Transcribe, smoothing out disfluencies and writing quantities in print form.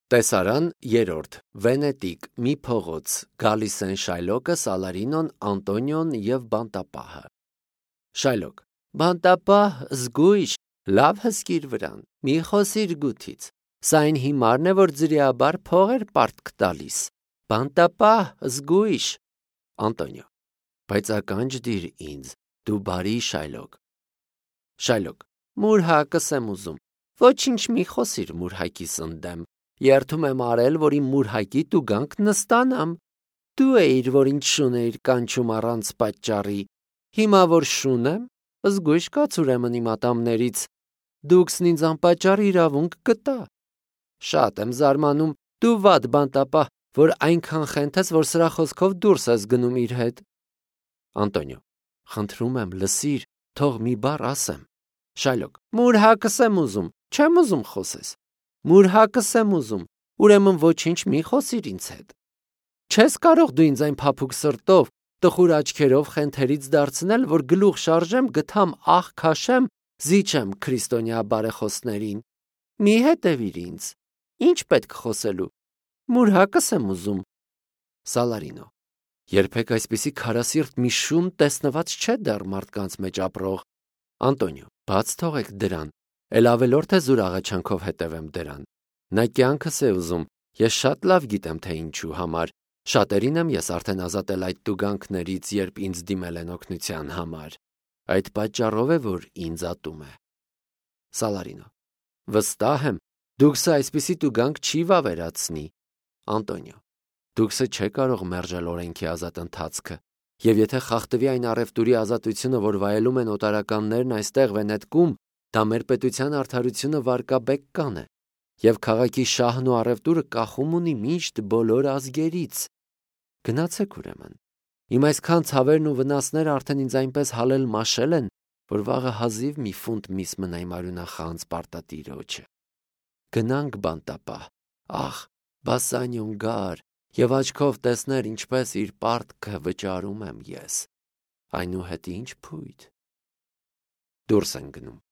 Տեսարան երրորդ, Վենետիկ, մի փողոց, գալիս են Շայլոկը, Սալարինոն, Անտոնիոն և բանտապահը։ Շայլոկ. Բանտապահ, զգույշ, լավ հսկիր վրան, մի խոսիր գութից, սա այն հիմարն է, որ ձրիաբար փողեր պարտք տալիս, բանտապահ, զգույշ։ Անտոնիո. բայց ականջ դիր ինձ, դու բարի Շայլոկ։ Շայլոկ. մուրհակս եմ ուզում, ոչինչ մի խոսիր մուրհակիս ընդեմ, երդում եմ արել, որ իմ մուրհակի տուգանք նստանամ, դու էիր, որ ինձ շուն էիր կանչում առանց պատճառի, հիմա որ շուն եմ, զգույշ կաց ուրեմն իմ ատամներից, դուքսն ինձ անպատճառ իրավունք կտա։ Շատ եմ զարմանում, դու վատ բանտապահ, որ այնքան խենթես, որ սրա խոսքով դուրս ես գնում իր հետ։ Անտոնիո. խնդրում եմ լսիր, թող մի բառ ասեմ։ Շայլոկ. մուրհակս եմ ուզում, չեմ ուզում խոսես։ Մուրհակս եմ ուզում, ուրեմն ոչինչ մի խոսիր ինձ հետ։ Չես կարող դու ինձ այն փափուկ սրտով, տխուր աչքերով խենթերից դարձնել, որ գլուխ շարժեմ, գթամ աղ քաշեմ, զիջեմ քրիստոնյա բարեխոսներին։ Մի հետևիր ինձ։ Ինչ պետք խոսելու։ Մուրհակս եմ ուզում։ Սալարինո. երբեք այսպիսի քարասիրտ մի շուն տեսնված չէ դեռ մարդկանց մեջ ապրող։ Անտոնիո. բաց թողեք դրան, էլ ավելորդ է զուր աղաչանքով հետևեմ դրան։ Նա կյանքս է ուզում, ես շատ լավ գիտեմ, թե ինչու համար, շատերին եմ ես արդեն ազատել այդ տուգանքներից, երբ ինձ դիմել են օգնության համար, այդ պատճառով է, որ ինձ ատում է։ Սալարինո. վստահ եմ, դուքսը այսպիսի տուգանք չի վավերացնի։ Անտոնիո. դուքսը չէ կարող մերժել օրենքի ազատ ընթացքը, և եթե խախտվի այն առևտուրի ազատությունը, որ վայելում են օտարականներն այստեղ Վենետկում, դա մեր պետության արդարությունը վարկաբեկ կանե, և քաղաքի շահն ու առևտուրը կախում ունի միշտ բոլոր ազգերից։ Գնացեք ուրեմն։ Իմ այսքան ցավերն ու վնասները արդեն ինձ այնպես հալել մաշել են, որ վաղը հազիվ մի ֆունտ միս մնա իմ արյունախանձ պարտատիրոջը։ Գնանք բանտապահ, ախ, Բասանյոն գար, և աչքով տեսներ ինչպես իր պարտքը վճարում եմ ես, այնուհետև ինչ փույթ։ Դուրս են գնում։